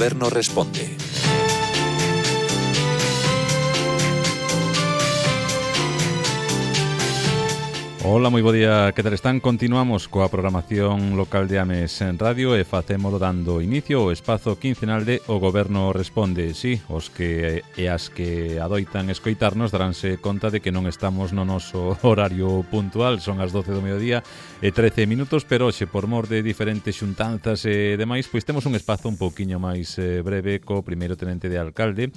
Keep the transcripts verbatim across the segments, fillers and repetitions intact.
Goberno responde. Ola, moi bo día, que tal están? Continuamos coa programación local de Ames en Radio e facémolo dando inicio ao espazo quincenal de O Goberno Responde. Sí, os que e as que adoitan escoitarnos daránse conta de que non estamos no noso horario puntual, son as doce do mediodía e trece minutos, pero hoxe, por mor de diferentes xuntanzas e demais, pois temos un espazo un pouquiño máis eh, breve co primeiro tenente de alcalde,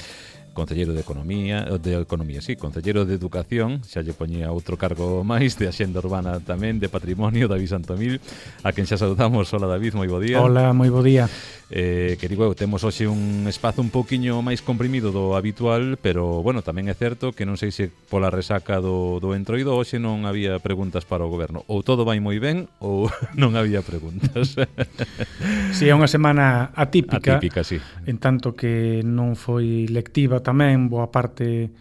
Concelleiro de Economía, de Economía, sí, Concelleiro de Educación, xa lle poñía outro cargo máis, de Axenda Urbana tamén, de Patrimonio, David Santomil, a quen xa saudamos. Hola, David, moi bo día. Hola, moi bo día. Eh, que digo, temos hoxe un espazo un pouquiño máis comprimido do habitual, pero, bueno, tamén é certo que non sei se pola resaca do, do entroido hoxe non había preguntas para o Goberno. Ou todo vai moi ben, ou non había preguntas. Si, é unha semana atípica, atípica, sí. En tanto que non foi lectiva tamén boa parte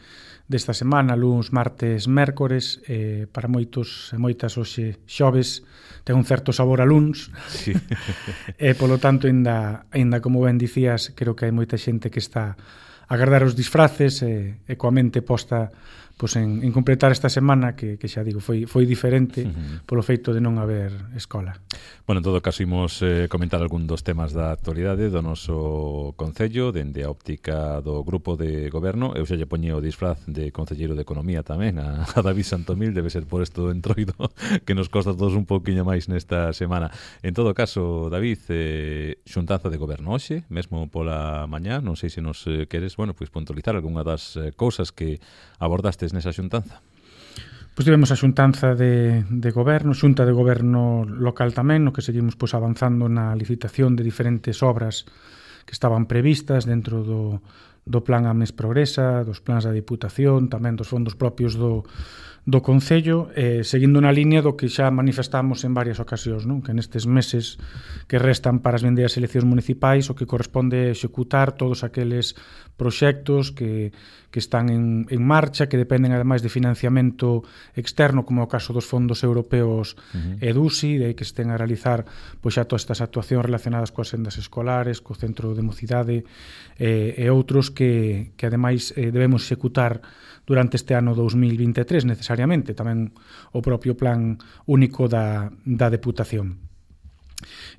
desta semana, luns, martes, mércores, eh, para moitos e moitas hoxe xoves ten un certo sabor a luns, sí. E polo tanto, ainda, ainda como ben dicías, creo que hai moita xente que está a agardar os disfraces e, e coa mente posta pois en, en completar esta semana que, que xa digo, foi, foi diferente uh-huh. polo feito de non haber escola. Bueno, en todo caso, imos eh, comentar algún dos temas da actualidade do noso Concello, dende a óptica do Grupo de Goberno. Eu xa lle poñe o disfraz de Concelleiro de Economía tamén a, a David Santomil, debe ser por isto do entroido que nos costa todos un pouquiño máis nesta semana. En todo caso, David, eh, xuntanza de Goberno hoxe, mesmo pola mañá, non sei se nos eh, queres, bueno, pois puntualizar algunha das eh, cousas que abordaste nesa xuntanza. Pois tivemos a xuntanza de, de goberno, xunta de goberno local tamén, no que seguimos pois avanzando na licitación de diferentes obras que estaban previstas dentro do, do plan Ames Progresa, dos plans da Diputación, tamén dos fondos propios do, do Concello, eh, seguindo na línea do que xa manifestamos en varias ocasións, non? Que nestes meses que restan para as vindeiras eleccións municipais o que corresponde executar todos aqueles proxectos que, que están en, en marcha, que dependen ademais de financiamento externo, como é o caso dos fondos europeos uh-huh. E D U S I, de aí que estén a realizar pois xa todas estas actuacións relacionadas coas sendas escolares, co centro de mocidade eh, e outros que, que ademais eh, debemos executar durante este ano dous mil vinte e tres necesariamente, tamén o propio plan único da, da Deputación.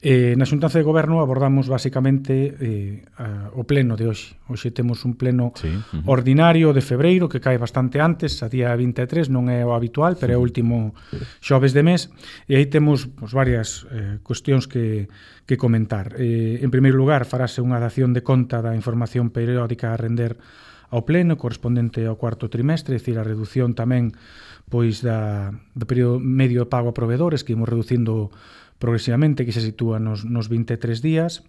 Eh, na xuntanza de goberno abordamos basicamente eh, a, o pleno de hoxe. Hoxe temos un pleno sí, uh-huh. ordinario de febreiro que cae bastante antes, a día vinte e tres, non é o habitual, pero é o último xoves de mes, e aí temos pues, varias eh, cuestións que, que comentar. Eh, en primeiro lugar, farase unha dación de conta da información periódica a render ao pleno, correspondente ao cuarto trimestre, é dicir, a reducción tamén pois da, do período medio de pago a proveedores, que imos reducindo progresivamente, que se sitúa nos, nos vinte e tres días.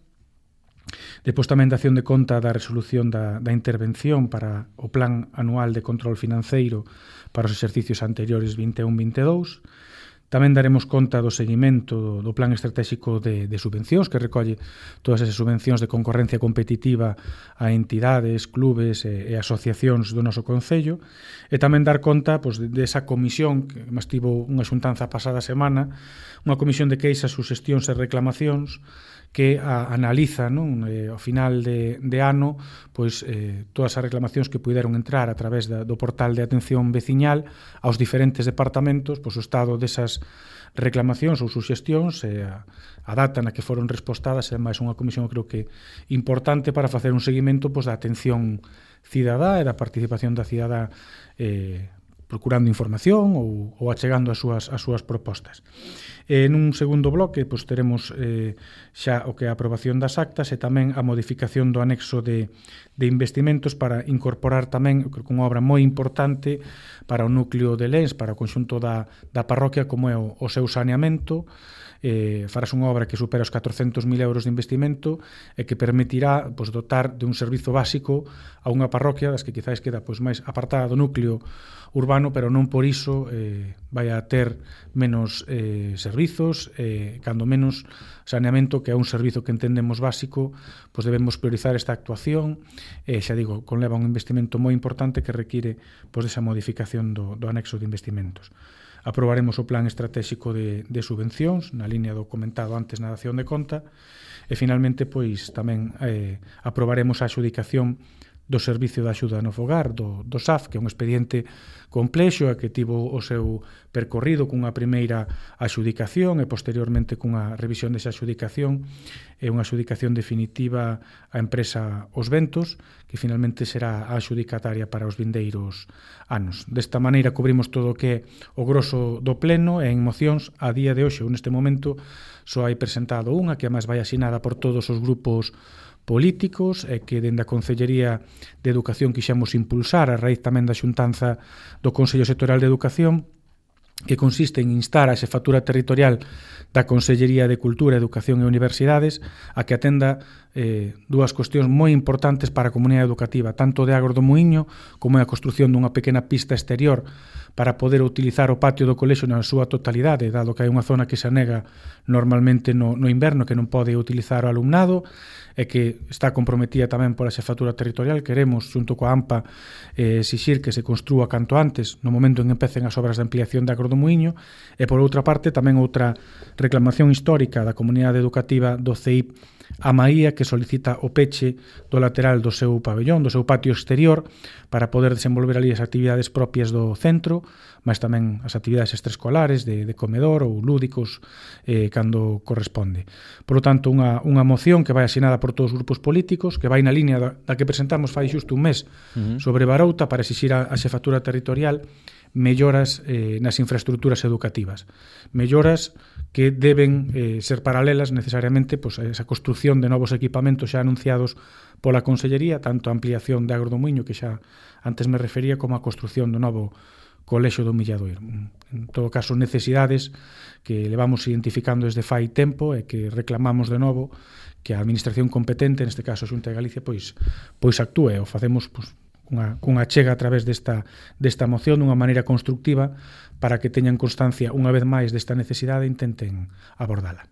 Depois tamén dación de conta da resolución da, da intervención para o plan anual de control financeiro para os exercicios anteriores vinte e un vinte e dous. Tamén daremos conta do seguimento do, do plan estratégico de, de subvencións, que recolle todas esas subvencións de concorrencia competitiva a entidades, clubes e, e asociacións do noso Concello, e tamén dar conta pois, de, de esa comisión que mas tivo unha xuntanza pasada semana, unha comisión de queixas, suxestións e reclamacións que a, analiza, non, eh, ao final de, de ano pois, eh, todas as reclamacións que puderon entrar a través da, do portal de atención veciñal aos diferentes departamentos, pois, o estado desas reclamacións ou suxestións e a, a data na que foron respostadas, é máis unha comisión creo que importante para facer un seguimento pois, da atención cidadá e da participación da cidadá eh, procurando información ou, ou achegando as súas, as súas propostas. En un segundo bloque pois, teremos eh, xa o que é a aprobación das actas e tamén a modificación do anexo de, de investimentos para incorporar tamén creo que unha obra moi importante para o núcleo de Lens, para o conxunto da, da parroquia, como é o, o seu saneamento. Eh, farás unha obra que supera os catrocentos mil euros de investimento e que permitirá pois, dotar de un servizo básico a unha parroquia das que quizáis queda pois, máis apartada do núcleo urbano, pero non por iso eh, vai a ter menos eh, servizos, eh, cando menos saneamento, que é un servizo que entendemos básico, pois debemos priorizar esta actuación, e eh, xa digo, conleva un investimento moi importante que require pois, esa modificación do, do anexo de investimentos. aprobaremos o plan estratégico de, de subvencións na línea do comentado antes na dación de conta e finalmente pois tamén eh, aprobaremos a adxudicación do Servicio de Axuda no Fogar, do, do S A F, que é un expediente complexo e que tivo o seu percorrido cunha primeira adxudicación e posteriormente cunha revisión desa adxudicación e unha adxudicación definitiva á empresa Os Ventos, que finalmente será a adxudicataria para os vindeiros anos. Desta maneira cubrimos todo o que é o grosso do pleno e en mocións a día de hoxe, ou neste momento, só hai presentado unha que máis vai asinada por todos os grupos políticos e que dende a Consellería de Educación quixemos impulsar a raíz tamén da xuntanza do Consello Sectorial de Educación, que consiste en instar a xefatura territorial da Consellería de Cultura, Educación e Universidades a que atenda eh, dúas cuestións moi importantes para a comunidade educativa, tanto de Agro do Muíño como a construción dunha pequena pista exterior para poder utilizar o patio do colexio na súa totalidade, dado que hai unha zona que se anega normalmente no, no inverno que non pode utilizar o alumnado e que está comprometida tamén pola xefatura territorial. Queremos, xunto coa AMPA, eh, exixir que se construa canto antes no momento en que empecen as obras de ampliación de Agro do Muíño e, por outra parte, tamén outra reclamación histórica da comunidade educativa do C I P a Maía, que solicita o peche do lateral do seu pabellón, do seu patio exterior, para poder desenvolver ali as actividades propias do centro, mas tamén as actividades extraescolares de, de comedor ou lúdicos eh, cando corresponde. Por lo tanto, unha, unha moción que vai asinada por todos os grupos políticos, que vai na línea da, da que presentamos fai xusto un mes uh-huh. sobre Barouta para exixir a, a xefatura territorial melloras eh, nas infraestructuras educativas. Melloras que deben eh, ser paralelas necesariamente pois, a esa construción de novos equipamentos xa anunciados pola Consellería, tanto a ampliación de Agro do Muíño, que xa antes me refería, como a construción do novo colexio do Milladoiro. En todo caso, necesidades que levamos identificando desde fai tempo e que reclamamos de novo que a Administración competente, neste caso a Xunta de Galicia, pois, pois actúe o facemos pois, cunha, cunha chega a través desta, desta moción dunha maneira constructiva para que teñan constancia unha vez máis desta necesidade e intenten abordala.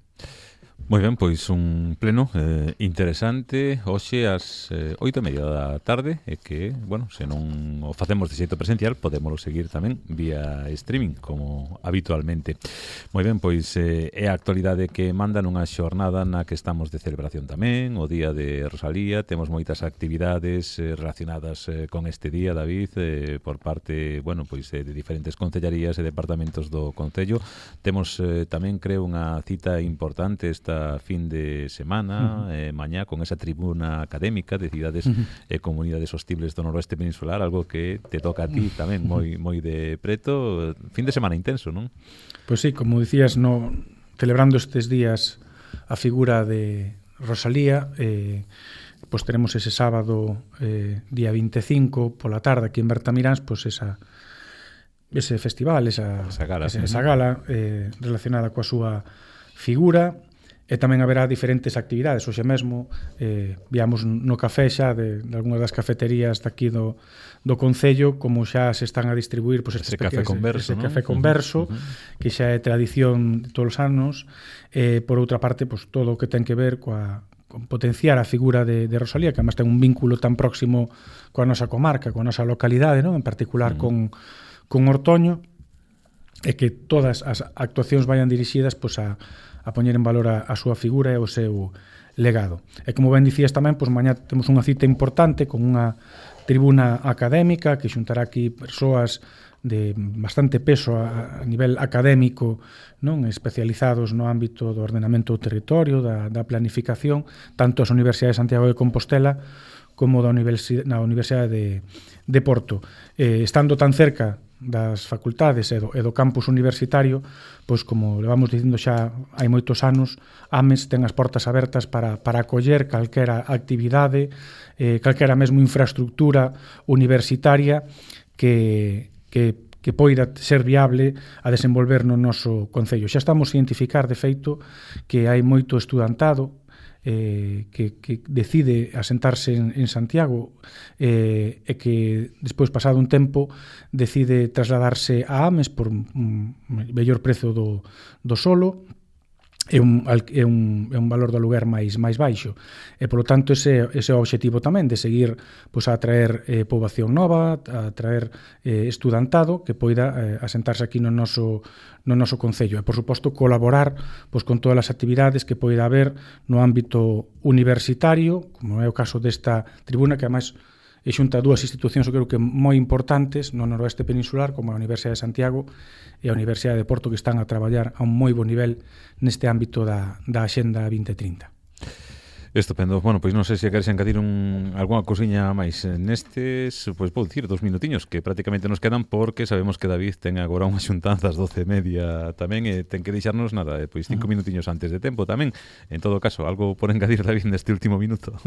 Moi ben, pois un pleno eh, interesante hoxe ás eh, oito e media da tarde e que, bueno, se non o facemos de xeito presencial podémolo seguir tamén vía streaming como habitualmente. Moi ben, pois eh, é a actualidade que manda nunha xornada na que estamos de celebración tamén, o Día de Rosalía, temos moitas actividades eh, relacionadas eh, con este día, David, eh, por parte, bueno, pois eh, de diferentes concellarías e departamentos do Concello. Temos eh, tamén, creo, unha cita importante esta fin de semana, uh-huh. eh, mañá, con esa tribuna académica de cidades uh-huh. e comunidades hostibles do noroeste peninsular, algo que te toca a ti tamén moi moi de preto. Fin de semana intenso, non? Pois sí, como dicías, no, celebrando estes días a figura de Rosalía, eh, pois teremos ese sábado, eh, día vinte e cinco, pola tarde, aquí en Bertamiráns, pois esa ese festival, esa, esa gala, esa, esa gala eh, relacionada coa súa figura. E tamén haberá diferentes actividades. Hoxe mesmo eh, viamos no café xa de, de algunhas das cafeterías daqui do, do Concello como xa se están a distribuir pois, ese café converso, ese ¿no? café converso, uh-huh, uh-huh. que xa é tradición de todos os anos. Eh, por outra parte, pois, todo o que ten que ver coa con potenciar a figura de, de Rosalía, que además ten un vínculo tan próximo coa nosa comarca, coa nosa localidade, ¿no? En particular uh-huh. con, con Ortoño, e que todas as actuacións vayan dirixidas pois, a a poñer en valor a, a súa figura e o seu legado. E como ben dicías tamén, pois mañá temos unha cita importante con unha tribuna académica que xuntará aquí persoas de bastante peso a, a nivel académico, non especializados no ámbito do ordenamento do territorio, da, da planificación, tanto as Universidades de Santiago de Compostela como da Universidade, na Universidade de, de Porto. Eh, estando tan cerca das facultades e do, e do campus universitario, pois como levamos dicindo xa hai moitos anos, AMES ten as portas abertas para, para acoller calquera actividade, eh, calquera mesmo infraestructura universitaria que, que, que poida ser viable a desenvolver no noso concello. Xa estamos a identificar, de feito, que hai moito estudantado Eh, que, que decide asentarse en, en Santiago eh, e que despois, pasado un tempo, decide trasladarse a AMES por un mellor prezo do, do solo é un, é un, é un valor do aluguer máis máis baixo e polo tanto ese, ese é o obxectivo tamén de seguir pois, a atraer eh, poboación nova, a atraer eh, estudantado que poida eh, asentarse aquí no noso, no noso concello e por suposto colaborar pois, con todas as actividades que poida haber no ámbito universitario, como é o caso desta tribuna que ademais e xunta dúas institucións, eu creo que moi importantes no noroeste peninsular, como a Universidade de Santiago e a Universidade de Porto, que están a traballar a un moi bo nivel neste ámbito da, da Axenda vinte trinta. Estupendo. Bueno, pois non sei se queres engadir un, algunha cousiña máis nestes, pois vou dicir dos minutiños que prácticamente nos quedan porque sabemos que David ten agora unha xuntanza ás doce e media tamén e ten que deixarnos nada, pois cinco minutiños antes de tempo tamén. En todo caso, algo por engadir, David, neste último minuto?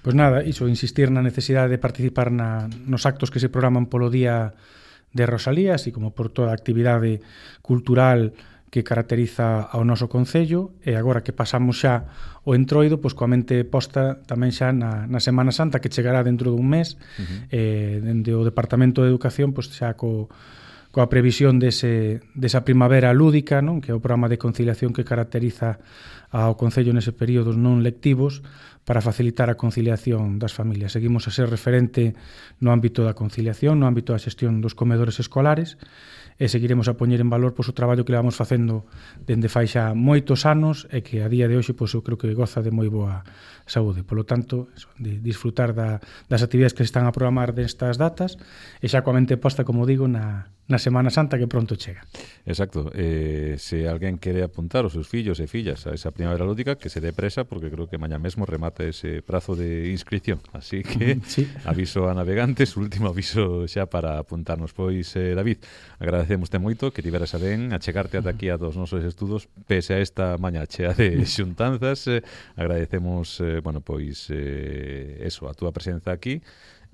Pois nada, iso, insistir na necesidade de participar na, nos actos que se programan polo Día de Rosalía, así como por toda a actividade cultural que caracteriza ao noso concello e agora que pasamos xa o entroido, pois coa mente posta tamén xa na, na Semana Santa que chegará dentro dun mes uh-huh. eh, dende o Departamento de Educación pois xa co, coa previsión dese, desa primavera lúdica, non? Que é o programa de conciliación que caracteriza ao concello nese períodos non lectivos para facilitar a conciliación das familias. Seguimos a ser referente no ámbito da conciliación, no ámbito da xestión dos comedores escolares e seguiremos a poñer en valor pois, o traballo que levamos facendo dende fai xa moitos anos e que a día de hoxe pois, eu creo que goza de moi boa saúde. Polo tanto, eso, de disfrutar da, das actividades que se están a programar destas datas e xa coa mente posta, como digo, na, na Semana Santa que pronto chega. Exacto. Eh, se alguén quere apuntar os seus fillos e fillas a esa primavera lúdica, que se dé presa, porque creo que mañá mesmo remata ese prazo de inscripción. Así que sí. Aviso a navegantes, último aviso xa para apuntarnos. Pois, eh, David, agradecémoste moito que tiveras a ben a chegarte ata aquí a dos nosos estudos, pese a esta mañá chea de xuntanzas. Eh, agradecemos, eh, bueno, pois, eh, eso, a túa presenza aquí.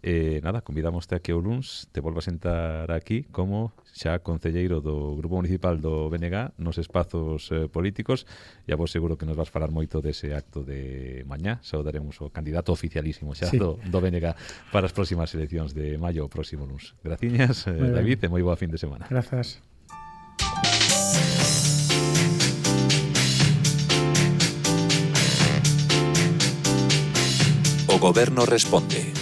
Eh, nada, convidamoste a que o luns te volvas a sentar aquí como xa concelleiro do Grupo Municipal do B N G nos espazos eh, políticos e a vos seguro que nos vas falar moito dese acto de mañá. Saudaremos o candidato oficialísimo xa sí. do, do B N G para as próximas eleccións de maio o próximo luns. Graciñas, eh, David, e moi boa fin de semana. Grazas. O Goberno responde.